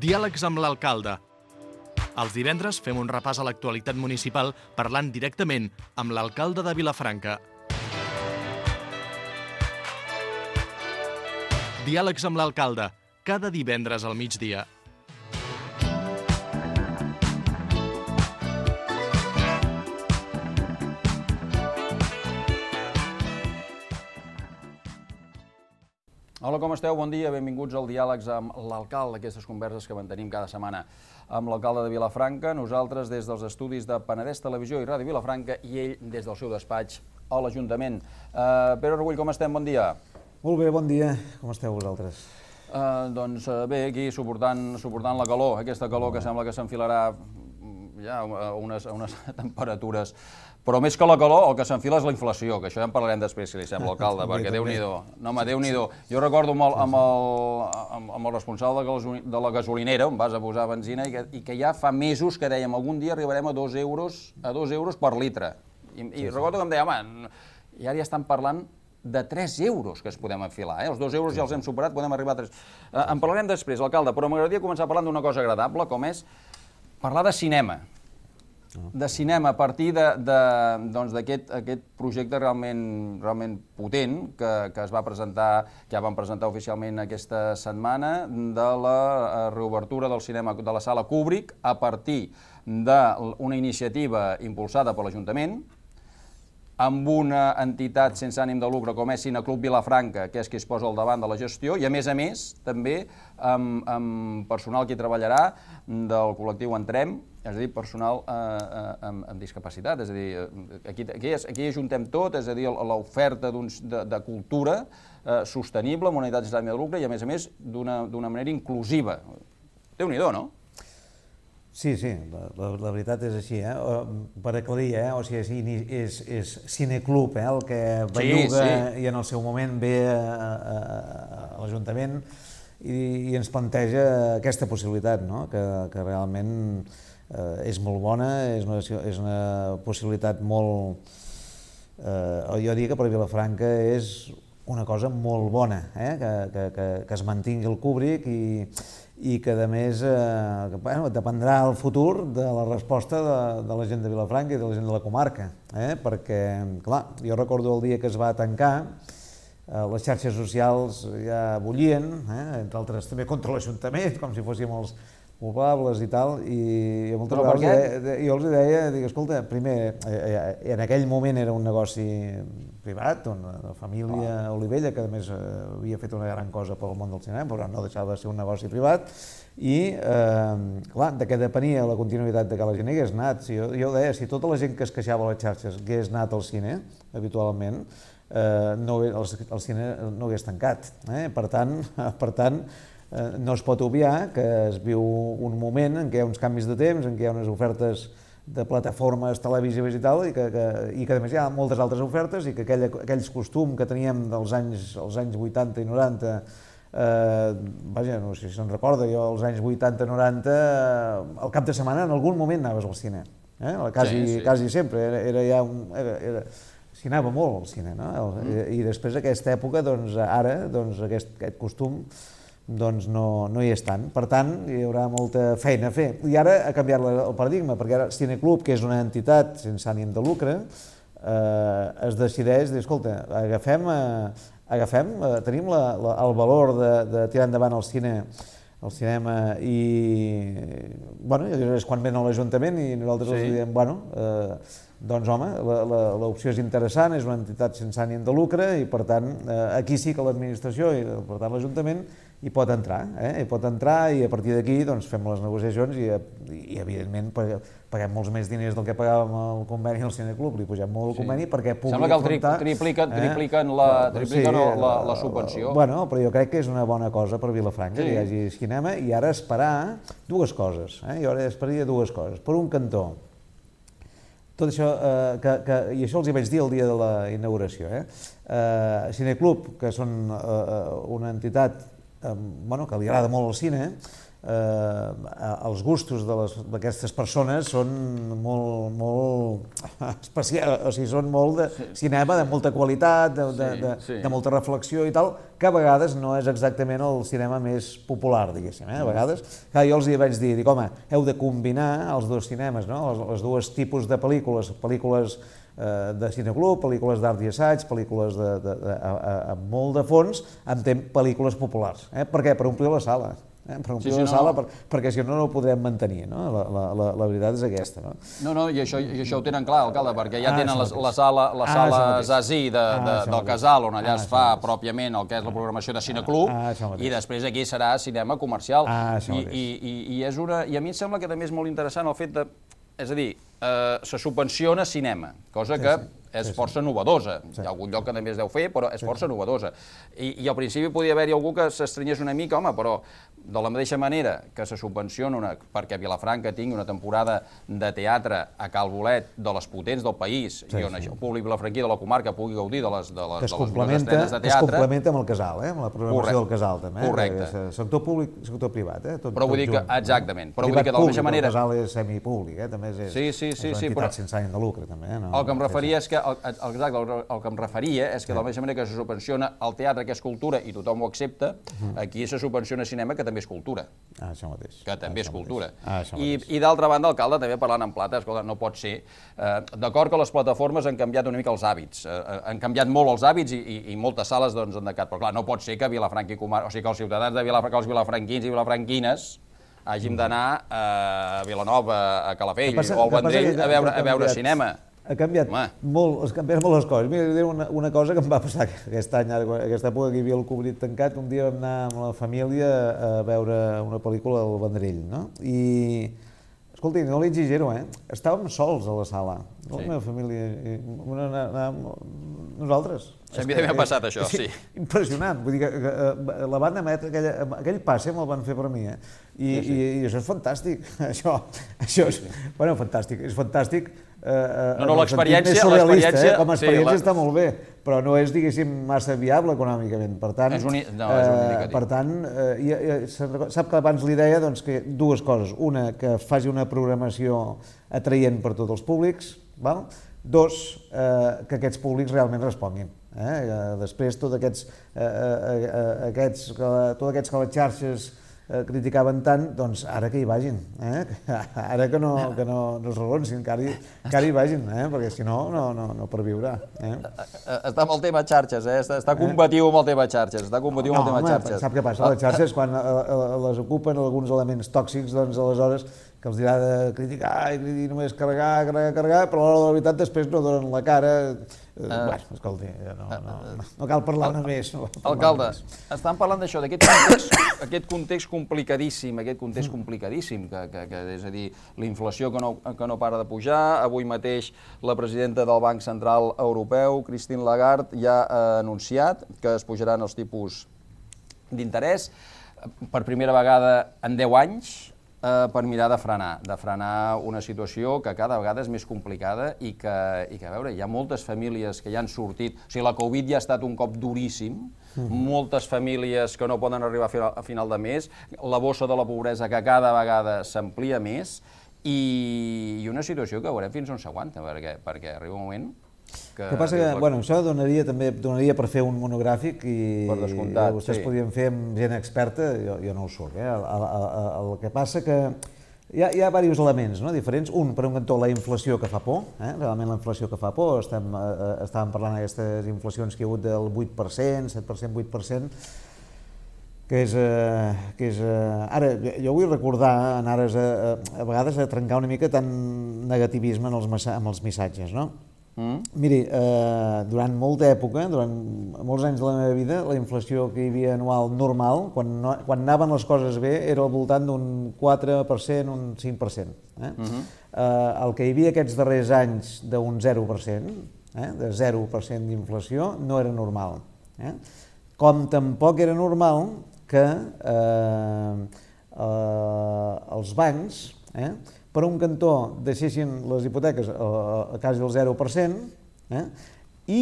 Diàlegs amb l'alcalde. Els divendres fem un repàs a l'actualitat municipal parlant directament amb l'alcalde de Vilafranca. Diàlegs amb l'alcalde, cada divendres al migdia. Hola, com esteu? Bon dia, benvinguts al Diàlegs amb l'alcalde, aquestes converses que mantenim cada setmana amb l'alcalde de Vilafranca, nosaltres des dels estudis de Penedès Televisió i Ràdio Vilafranca i ell des del seu despatx a l'Ajuntament. Pere Argull, com estem? Bon dia. Molt bé, bon dia. Com esteu vosaltres? Doncs bé, aquí suportant la calor, aquesta calor que sembla que s'enfilarà ja a unes temperatures. Però més que la calor, el que s'enfila és la inflació, que això ja en parlarem després, si li sembla, alcalde, perquè Déu-n'hi-do. No, home, Déu-n'hi-do. Jo recordo amb el responsable de la gasolinera, on vas a posar benzina, i que ja fa mesos que dèiem algun dia arribarem a 2 euros per litre. I recordo que em deia, home, i ara ja estan parlant de 3 euros que es podem enfilar. Els 2 euros ja els hem superat, podem arribar a 3. En parlarem després, alcalde, però m'agradaria començar parlant d'una cosa agradable, com és parlar de cinema. De cinema a partir d'aquest projecte realment potent que es va presentar, que ja vam presentar oficialment aquesta setmana, de la reobertura del cinema de la sala Kubrick a partir d'una iniciativa impulsada per l'Ajuntament, amb una entitat sense ànim de lucre com és Cineclub Vilafranca, que és qui es posa al davant de la gestió, i a més també amb personal que hi treballarà del col·lectiu Entrem, és a dir, personal amb discapacitat, és a dir, aquí ajuntem tot, és a dir, l'oferta de cultura sostenible, amb una entitat sense ànim de lucre i a més d'una manera inclusiva. Déu-n'hi-do, no? Sí, la veritat és així, per aclarir, o sigui, és Cineclub el que belluga i en el seu moment ve a l'Ajuntament i ens planteja aquesta possibilitat, que realment és molt bona, és una possibilitat molt... Jo diria que per Vilafranca és una cosa molt bona, que es mantingui el Kubrick i que, a més, dependrà el futur de la resposta de la gent de Vilafranca i de la gent de la comarca, perquè, clar, jo recordo el dia que es va tancar, les xarxes socials ja bullien, entre altres també contra l'Ajuntament, com si fóssim els culpables i tal, i moltes vegades jo els deia, escolta, primer, en aquell moment era un negoci privat, una família Olivella, que a més havia fet una gran cosa pel món del cinema, però no deixava de ser un negoci privat, i, clar, de què depenia la continuïtat de que la gent hagués anat. Jo deia, si tota la gent que es queixava a les xarxes hagués anat al cine, habitualment, el cine no hagués tancat. Per tant, no es pot obviar que es viu un moment en què hi ha uns canvis de temps, en què hi ha unes ofertes de plataformes televisives i tal, i que a més hi ha moltes altres ofertes i que aquells costums que teníem dels anys 80 i 90, vaja, no sé si se'n recorda, jo als anys 80-90, al cap de setmana en algun moment anaves al cine, quasi sempre, s'hi anava molt al cine, i després d'aquesta època, ara, aquest costum no hi és tant. Per tant, hi haurà molta feina a fer. I ara ha canviat el paradigma, perquè ara Cineclub, que és una entitat sense ànim de lucre, es decideix dir, escolta, tenim el valor de tirar endavant el cinema i és quan ven a l'Ajuntament i nosaltres els diem, doncs home, l'opció és interessant, és una entitat sense ànim de lucre i per tant aquí sí que l'administració i per tant l'Ajuntament hi pot entrar i a partir d'aquí fem les negociacions i evidentment paguem molts més diners del que pagàvem al conveni al Cineclub, li pugem molt el conveni perquè pugui afrontar... Sembla que tripliquen la subvenció. Bueno, però jo crec que és una bona cosa per Vilafranca que hi hagi cinema i ara esperar dues coses. Jo ara esperaria dues coses. Per un cantó, tot això, i això els hi vaig dir el dia de la inauguració, Cineclub, que són una entitat que li agrada molt el cine, els gustos d'aquestes persones són molt especials, o sigui, són molt de cinema, de molta qualitat, de molta reflexió i tal, que a vegades no és exactament el cinema més popular, diguéssim. A vegades, jo els vaig dir, home, heu de combinar els dos cinemes, els dos tipus de pel·lícules de cineclub, pel·lícules d'art i assaig, pel·lícules amb molt de fons, amb pel·lícules populars. Per què? Per omplir la sala. Per omplir la sala, perquè si no, no ho podrem mantenir. La veritat és aquesta. No, i això ho tenen clar, alcalde, perquè ja tenen la sala Zazí del Casal, on allà es fa pròpiament el que és la programació de cineclub, i després aquí serà cinema comercial. I a mi em sembla que també és molt interessant el fet de... És a dir, se subvenciona cinema, cosa que és força novedosa. Hi ha algun lloc que també es deu fer, però és força novedosa. I al principi podia haver-hi algú que s'estrenyés una mica, home, però de la mateixa manera que se subvenciona perquè Vilafranca tingui una temporada de teatre a Cal Bolet de les potents del país i on el públic vilafranquí de la comarca pugui gaudir de les estrenes de teatre... Que es complementa amb el casal, amb la programació del casal, també. Correcte. Sector públic, sector privat. Però vull dir que, exactament, però vull dir que de la mateixa manera... El casal és semipúblic, també és una entitat sense ànim de lucre, també. El que em referia és que de la mateixa manera que se subvenciona el teatre, que és cultura, i tothom ho accepta, aquí se subvenciona cinema, que també és cultura. Això mateix. Que també és cultura. I d'altra banda, alcalde, també parlant en plata, escolta, no pot ser... D'acord que les plataformes han canviat una mica els hàbits, han canviat molt els hàbits i moltes sales han decat, però clar, no pot ser que Vilafranca i Comarca, o sigui, que els ciutadans de Vilafranca, els vilafranquins i vilafranquines, hàgim d'anar a Vilanova, a Calafell o al Vendrell a veure cinema. Ha canviat molt les coses. Mira, diré una cosa que em va passar aquest any, aquesta època que hi havia el Covid tancat, un dia vam anar amb la família a veure una pel·lícula del Vendrell, no? I, escolti, no li exagero, estàvem sols a la sala, la meva família, nosaltres. A mi també m'ha passat això, sí. Impressionant, vull dir que la van emetre, aquell passe me'l van fer per mi, i això és fantàstic, això és, bueno, fantàstic, és fantàstic. No, l'experiència... Com a experiència està molt bé, però no és, diguéssim, massa viable econòmicament. Per tant, sap que abans li deia que dues coses. Una, que faci una programació atraient per tots els públics. Dos, que aquests públics realment responguin. Després, tots aquests que les xarxes criticaven tant, doncs ara que hi vagin, ara que no es regonsin, que ara hi vagin, perquè si no, no perviurà. Està amb el tema xarxes, està combatiu amb el tema xarxes, Sap què passa? Les xarxes, quan les ocupen alguns elements tòxics, doncs aleshores que els dirà de criticar i només carregar, però a l'hora de la veritat després no donen la cara. Bueno, escolti, no cal parlar-ne més. Alcalde, estan parlant d'això, d'aquest context complicadíssim, que és a dir, la inflació que no para de pujar. Avui mateix la presidenta del Banc Central Europeu, Christine Lagarde, ja ha anunciat que es pujaran els tipus d'interès per primera vegada en 10 anys, per mirar de frenar una situació que cada vegada és més complicada i que, a veure, hi ha moltes famílies que ja han sortit, o sigui, la Covid ja ha estat un cop duríssim, moltes famílies que no poden arribar a final de mes, la bossa de la pobresa que cada vegada s'amplia més i una situació que veurem fins on s'aguanta, perquè arriba un moment que passa que, bueno, això donaria per fer un monogràfic i vostès podien fer amb gent experta, jo no ho soc. El que passa que hi ha diversos elements diferents. Un, per un cantó, la inflació que fa por, realment la inflació que fa por. Estàvem parlant d'aquestes inflacions que hi ha hagut del 8%, 7%, 8%, que és... Ara, jo vull recordar, en ares a vegades a trencar una mica tant negativisme amb els missatges, no? Miri, durant molta època, durant molts anys de la meva vida, la inflació que hi havia anual normal, quan anaven les coses bé, era al voltant d'un 4%, un 5%. El que hi havia aquests darrers anys d'un 0%, de 0% d'inflació, no era normal. Com tampoc era normal que els bancs, per un cantó deixessin les hipoteques a quasi el 0% i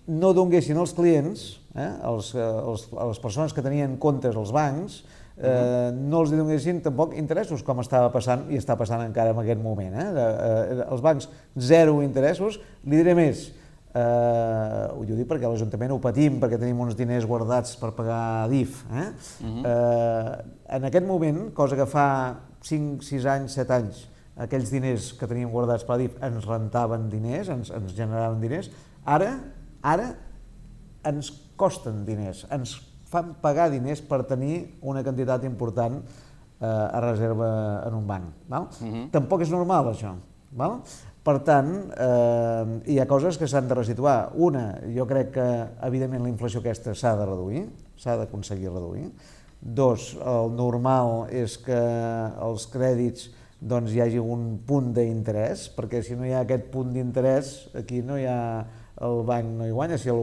no donguessin als clients a les persones que tenien comptes als bancs, no els donessin tampoc interessos, com estava passant i està passant encara en aquest moment. Els bancs, zero interessos. Li diré més, ho dic perquè a l'Ajuntament ho patim, perquè tenim uns diners guardats per pagar DIF. En aquest moment, cosa que fa 5, 6 anys, 7 anys, aquells diners que teníem guardats per DIF ens rentaven diners, ens generaven diners, ara ens costen diners, ens fan pagar diners per tenir una quantitat important a reserva en un banc. Tampoc és normal, això. Per tant, hi ha coses que s'han de resituar. Una, jo crec que, evidentment, la inflació aquesta s'ha de reduir, s'ha d'aconseguir reduir. Dos, el normal és que els crèdits hi hagi un punt d'interès, perquè si no hi ha aquest punt d'interès, aquí no hi ha... el banc no hi guanya, si el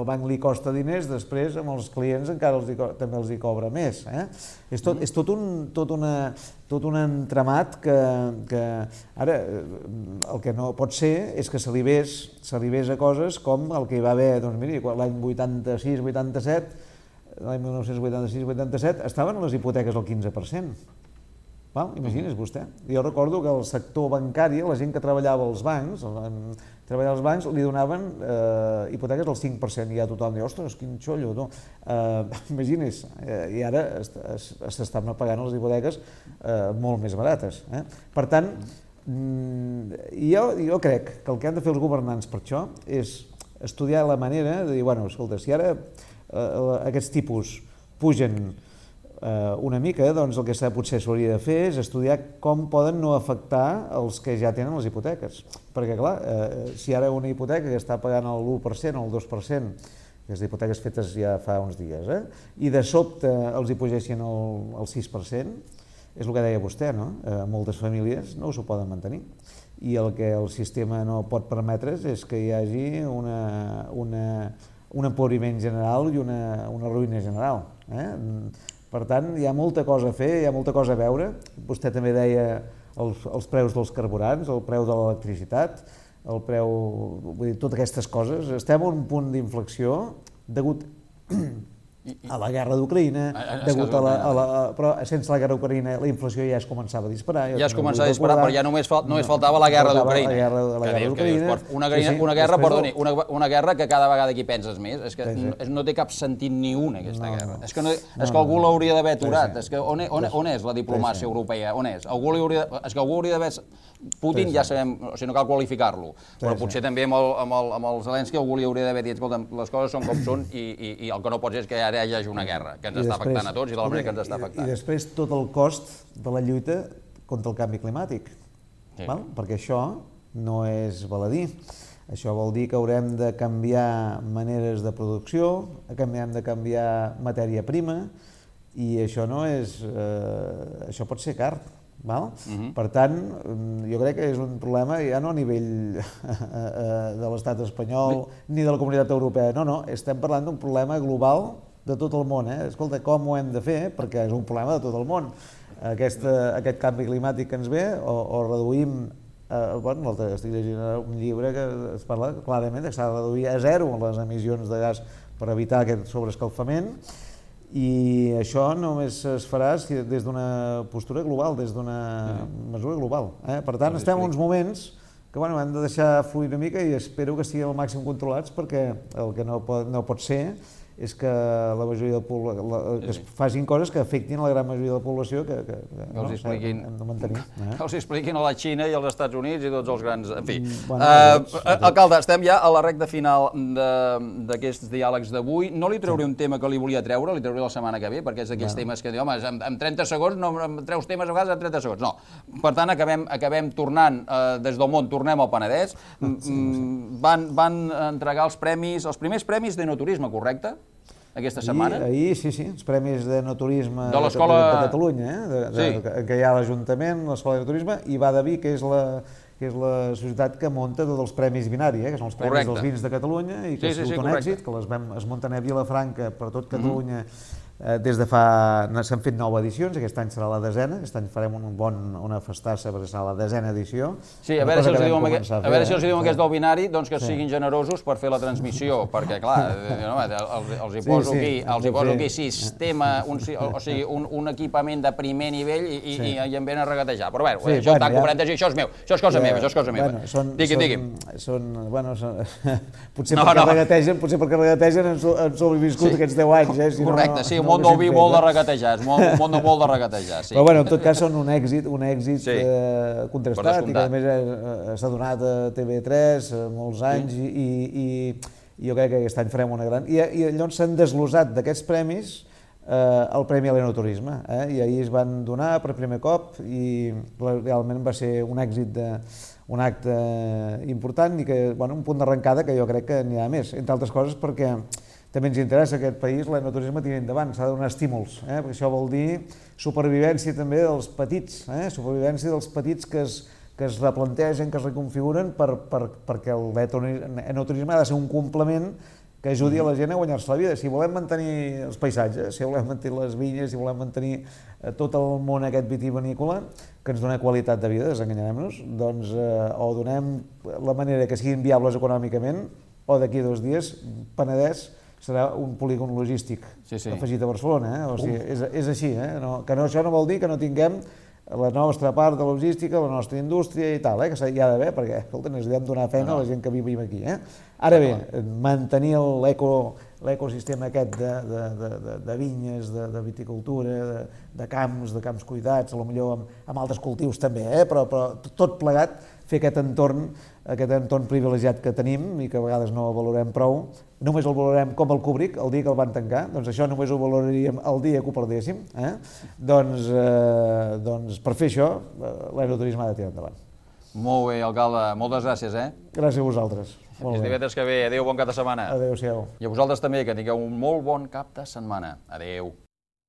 banc li costa diners, després amb els clients encara també els hi cobra més. És tot un entramat que ara el que no pot ser és que s'arribés a coses com el que hi va haver, doncs miri, l'any 86-87, l'any 1986-87 estaven les hipoteques al 15%. Imagini's vostè. Jo recordo que el sector bancari, la gent que treballava als bancs, li donaven hipoteques al 5%, i ja tothom diu, ostres, quin xollo, no? Imagini's, i ara s'estan pagant les hipoteques molt més barates. Per tant, jo crec que el que han de fer els governants per això és estudiar la manera de dir, bueno, escolta, si ara aquests tipus pugen una mica, doncs el que potser s'hauria de fer és estudiar com poden no afectar els que ja tenen les hipoteques. Perquè, clar, si ara una hipoteca que està pagant el 1% o el 2%, les hipoteques fetes ja fa uns dies, i de sobte els hi pugessin el 6%, és el que deia vostè, no? Moltes famílies no s'ho poden mantenir. I el que el sistema no pot permetre és que hi hagi un empobriment general i una ruïna general. Per tant, hi ha molta cosa a fer, hi ha molta cosa a veure. Vostè també deia els preus dels carburants, el preu de l'electricitat, el preu... Vull dir, totes aquestes coses. Estem en un punt d'inflexió degut a la guerra d'Ucraïna, però sense la guerra d'Ucraïna la inflació ja es començava a disparar. Ja es començava a disparar, però ja només faltava la guerra d'Ucraïna. Una guerra que cada vegada aquí penses més, és que no té cap sentit ni una, aquesta guerra. És que algú l'hauria d'haver aturat. On és la diplomàcia europea? On és? És que algú hauria d'haver... Putin ja sabem, o sigui, no cal qualificar-lo, però potser també amb el Zelensky algú li hauria d'haver dit, escolta, les coses són com són i el que no pot ser és que ara hi hagi una guerra que ens està afectant a tots i de la manera que ens està afectant. I després tot el cost de la lluita contra el canvi climàtic, perquè això no és baladí. Això vol dir que haurem de canviar maneres de producció, que hem de canviar matèria prima, i això no és... això pot ser car. Per tant, jo crec que és un problema ja no a nivell de l'estat espanyol ni de la comunitat europea, no, estem parlant d'un problema global de tot el món. Escolta, com ho hem de fer? Perquè és un problema de tot el món. Aquest canvi climàtic que ens ve, o reduïm... Estic llegint un llibre que es parla clarament que s'ha de reduir a zero les emissions de gas per evitar aquest sobreescalfament, i això només es farà des d'una postura global, des d'una mesura global. Per tant, estem en uns moments que hem de deixar fluir una mica i espero que estiguin al màxim controlats, perquè el que no pot ser és que la majoria que es facin coses que afectin a la gran majoria de la població que hem de mantenir. Que els expliquin a la Xina i als Estats Units i tots els grans... En fi. Alcalde, estem ja a la recta final d'aquests diàlegs d'avui. No li trauré un tema que li volia treure, li trauré la setmana que ve, perquè és d'aquells temes que diu, home, en 30 segons, no em treus temes a vegades en 30 segons. No. Per tant, acabem tornant des del món, tornem al Penedès. Van entregar els primers premis d'enoturisme, correcte? Aquesta setmana? Ahir, sí, els Premis d'Enoturisme de Catalunya, que hi ha l'Ajuntament, l'Escola d'Enoturisme, i va de Vic, que és la societat que munta tots els Premis Binària, que són els Premis dels Vins de Catalunya, i que és tot un èxit, que es munten a Vilafranca per tot Catalunya, Des de fa... s'han fet 9 edicions, aquest any serà la 10ª, aquest any farem una festassa perquè serà la 10ª edició. Sí, a veure si els diuen aquests del binari que siguin generosos per fer la transmissió, perquè clar, els hi poso aquí sistema, o sigui, un equipament de primer nivell i em venen a regatejar. Però bé, això està cobrat, això és meu, això és cosa meva, Digui'm. Potser perquè regategen han sobreviscut aquests 10 anys. Correcte, sí, un món del vi molt de regatejar, molt de regatejar, sí. Però bueno, en tot cas són un èxit contrastat i que a més s'ha donat a TV3 molts anys i jo crec que aquest any farem una gran... I llavors s'han desglossat d'aquests premis el Premi a l'Enoturisme i ahir es van donar per primer cop i realment va ser un èxit, un acte important i un punt d'arrencada que jo crec que n'hi ha més, entre altres coses perquè també ens interessa aquest país l'enoturisme tiri endavant, s'ha de donar estímuls, perquè això vol dir supervivència també dels petits, supervivència dels petits que es replantegen, que es reconfiguren perquè l'enoturisme ha de ser un complement que ajudi a la gent a guanyar-se la vida. Si volem mantenir els paisatges, si volem mantenir les vinyes, si volem mantenir tot el món aquest vitivinícola, que ens dona qualitat de vida, desenganyarem-nos, doncs o donem la manera que siguin viables econòmicament o d'aquí a 2 dies Penedès serà un polígon logístic afegit a Barcelona. O sigui, és així, que això no vol dir que no tinguem la nostra part de logística, la nostra indústria i tal, que hi ha d'haver, perquè necessitem donar feina a la gent que vivim aquí. Ara bé, mantenir l'ecosistema aquest de vinyes, de viticultura, de camps cuidats, potser amb altres cultius també, però tot plegat, fer aquest entorn privilegiat que tenim i que a vegades no valorem prou, només el valorem com el Kubrick, el dia que el van tancar, doncs això només ho valoraríem el dia que ho perdéssim, doncs per fer això l'enoturisme ha de tirar endavant. Molt bé, alcalde, moltes gràcies. Gràcies a vosaltres. Fins divendres que ve, adéu, bon cap de setmana. Adéu-siau. I a vosaltres també, que tingueu un molt bon cap de setmana. Adéu.